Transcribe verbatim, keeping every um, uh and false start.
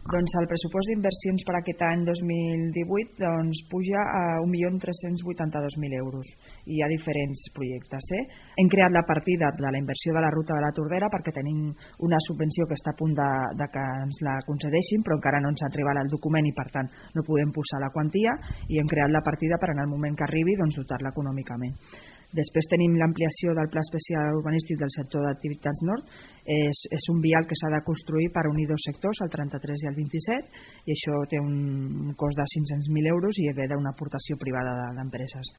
Doncs el pressupost d'inversions per aquest any dos mil divuit doncs, puja a un milió tres-cents vuitanta-dos mil euros. Hi ha diferents projectes. Eh? Hem creat la partida de la inversió de la ruta de la Tordera perquè tenim una subvenció que està a punt de, de que ens la concedeixin, però encara no ens ha arribat el document i per tant no podem posar la quantia, i hem creat la partida per en el moment que arribi doncs, dotar-la econòmicament. Després tenim l'ampliació del Pla Especial Urbanístic del sector d'activitats nord. És, és un vial que s'ha de construir per unir dos sectors, el trenta-tres i el vint-i-set, i això té un cost de cinc-cents mil euros i ve d'una aportació privada d'empreses.